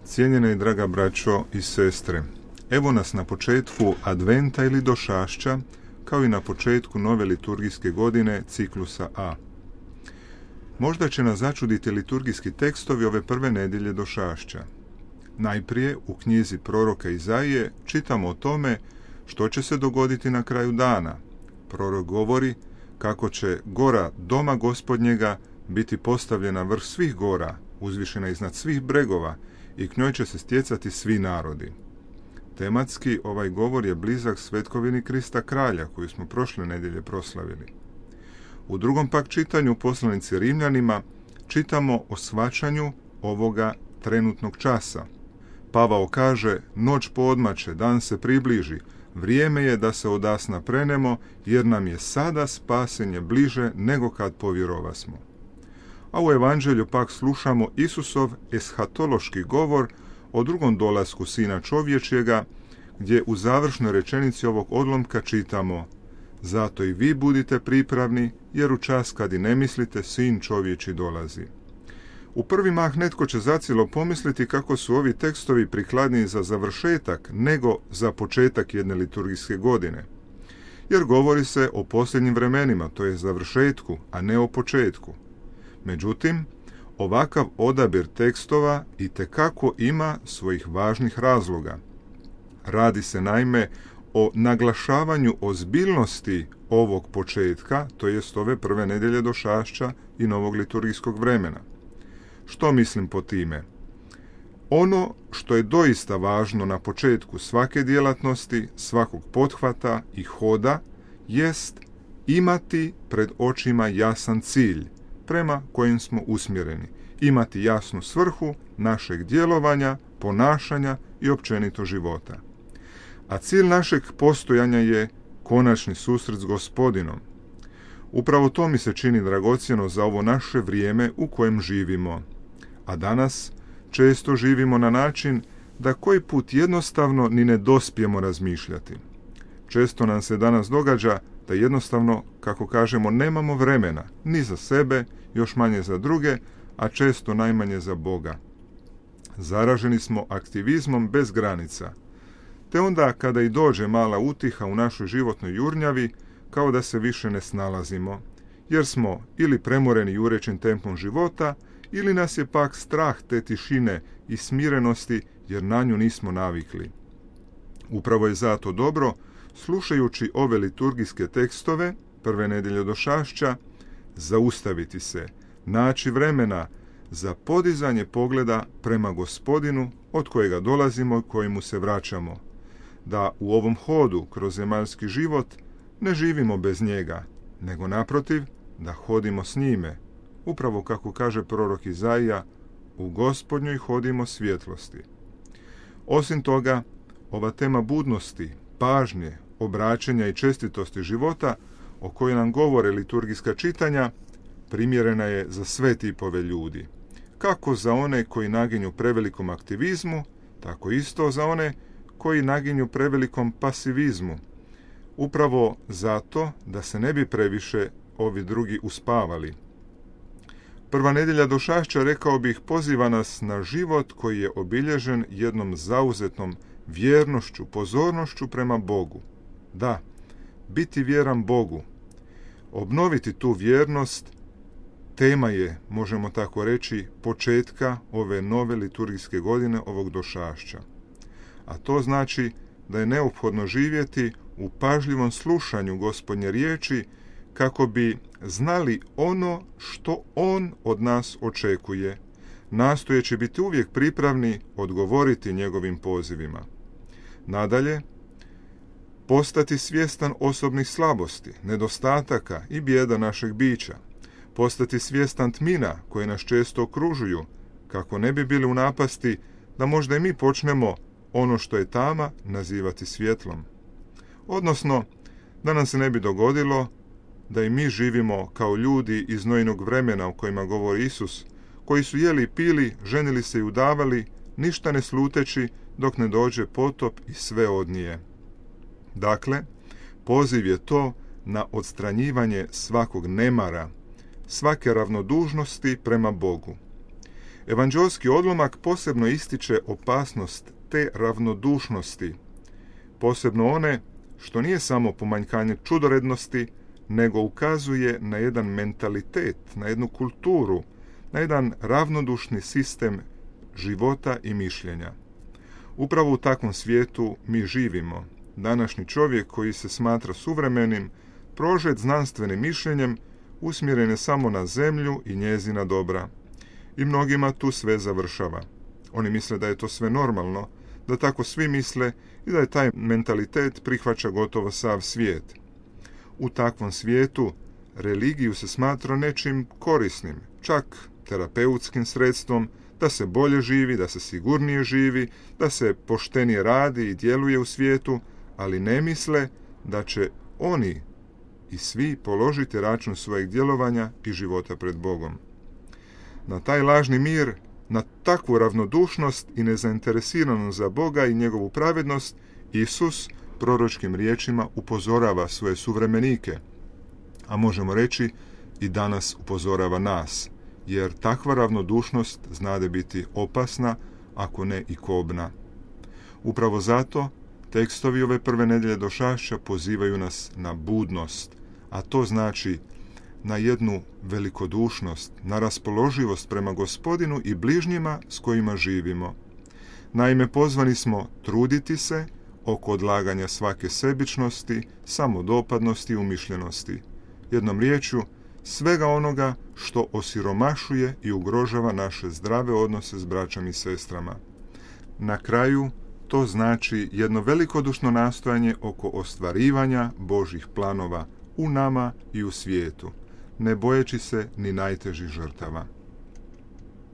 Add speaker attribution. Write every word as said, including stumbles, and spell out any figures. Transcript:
Speaker 1: Cijenjena i draga braćo i sestre, evo nas na početku Adventa ili Došašća, kao i na početku nove liturgijske godine ciklusa A. Možda će nas začuditi liturgijski tekstovi ove prve nedjelje Došašća. Najprije u knjizi proroka Izaije čitamo o tome što će se dogoditi na kraju dana. Prorok govori kako će gora doma Gospodnjega biti postavljena vrh svih gora, uzvišena iznad svih bregova, i k njoj će se stjecati svi narodi. Tematski ovaj govor je blizak svetkovini Krista Kralja, koju smo prošle nedjelje proslavili. U drugom pak čitanju poslanici Rimljanima čitamo o shvaćanju ovoga trenutnog časa. Pavao kaže: noć poodmače, dan se približi, vrijeme je da se odasna prenemo, jer nam je sada spasenje bliže nego kad povjerovasmo. A u evanđelju pak slušamo Isusov eshatološki govor o drugom dolasku Sina čovječjega, gdje u završnoj rečenici ovog odlomka čitamo: zato i vi budite pripravni, jer u čas kad i ne mislite, Sin čovječji dolazi. U prvi mah netko će zacijelo pomisliti kako su ovi tekstovi prikladniji za završetak nego za početak jedne liturgijske godine, jer govori se o posljednjim vremenima, to je završetku, a ne o početku. Međutim, ovakav odabir tekstova itekako ima svojih važnih razloga. Radi se naime o naglašavanju ozbiljnosti ovog početka, to jest ove prve nedjelje Došašća i novog liturgijskog vremena. Što mislim po time? Ono što je doista važno na početku svake djelatnosti, svakog pothvata i hoda, jest imati pred očima jasan cilj prema kojim smo usmjereni, imati jasnu svrhu našeg djelovanja, ponašanja i općenito života. A cilj našeg postojanja je konačni susret s Gospodinom. Upravo to mi se čini dragocjeno za ovo naše vrijeme u kojem živimo. A danas često živimo na način da koji put jednostavno ni ne dospijemo razmišljati. Često nam se danas događa da jednostavno, kako kažemo, nemamo vremena ni za sebe, još manje za druge, a često najmanje za Boga. Zaraženi smo aktivizmom bez granica, te onda kada i dođe mala utiha u našoj životnoj jurnjavi, kao da se više ne snalazimo, jer smo ili premoreni jurećim tempom života, ili nas je pak strah te tišine i smirenosti, jer na nju nismo navikli. Upravo je zato dobro, slušajući ove liturgijske tekstove, prve nedjelje Došašća, zaustaviti se, naći vremena za podizanje pogleda prema Gospodinu, od kojega dolazimo i kojemu se vraćamo. Da u ovom hodu kroz zemaljski život ne živimo bez njega, nego naprotiv, da hodimo s njime. Upravo kako kaže prorok Izaija, u Gospodnjoj hodimo svjetlosti. Osim toga, ova tema budnosti, pažnje, obraćanja i čestitosti života, o kojoj nam govore liturgijska čitanja, primjerena je za sve tipove ljudi. Kako za one koji naginju prevelikom aktivizmu, tako isto za one koji naginju prevelikom pasivizmu. Upravo zato da se ne bi previše ovi drugi uspavali. Prva nedjelja Došašća, rekao bih, poziva nas na život koji je obilježen jednom zauzetnom vjernošću, pozornošću prema Bogu. Da, biti vjeran Bogu. Obnoviti tu vjernost tema je, možemo tako reći, početka ove nove liturgijske godine, ovog Došašća. A to znači da je neophodno živjeti u pažljivom slušanju Gospodnje riječi, kako bi znali ono što On od nas očekuje, nastojeći biti uvijek pripravni odgovoriti njegovim pozivima. Nadalje, postati svjestan osobnih slabosti, nedostataka i bijeda našeg bića, postati svjestan tmina koje nas često okružuju, kako ne bi bili u napasti da možda i mi počnemo ono što je tama nazivati svjetlom. Odnosno, da nam se ne bi dogodilo da i mi živimo kao ljudi iz Nojinog vremena o kojima govori Isus, koji su jeli i pili, ženili se i udavali, ništa ne sluteći dok ne dođe potop i sve odnije. Dakle, poziv je to na odstranjivanje svakog nemara, svake ravnodužnosti prema Bogu. Evanđeolski odlomak posebno ističe opasnost te ravnodušnosti, posebno one što nije samo pomanjkanje čudorednosti, nego ukazuje na jedan mentalitet, na jednu kulturu, na jedan ravnodušni sistem života i mišljenja. Upravo u takvom svijetu mi živimo. Današnji čovjek koji se smatra suvremenim, prožet znanstvenim mišljenjem, usmjeren je samo na zemlju i njezina dobra. I mnogima tu sve završava. Oni misle da je to sve normalno, da tako svi misle i da je taj mentalitet prihvaća gotovo sav svijet. U takvom svijetu religiju se smatra nečim korisnim, čak terapeutskim sredstvom, da se bolje živi, da se sigurnije živi, da se poštenije radi i djeluje u svijetu, ali ne misle da će oni i svi položiti račun svojeg djelovanja i života pred Bogom. Na taj lažni mir, na takvu ravnodušnost i nezainteresiranost za Boga i njegovu pravednost, Isus proročkim riječima upozorava svoje suvremenike, a možemo reći i danas upozorava nas, jer takva ravnodušnost znade biti opasna, ako ne i kobna. Upravo zato tekstovi ove prve nedjelje došašća pozivaju nas na budnost, a to znači na jednu velikodušnost, na raspoloživost prema Gospodinu i bližnjima s kojima živimo. Naime, pozvani smo truditi se oko odlaganja svake sebičnosti, samodopadnosti i umišljenosti. Jednom riječju, svega onoga što osiromašuje i ugrožava naše zdrave odnose s braćom i sestrama. Na kraju, to znači jedno velikodušno nastojanje oko ostvarivanja Božjih planova u nama i u svijetu, ne bojeći se ni najtežih žrtava.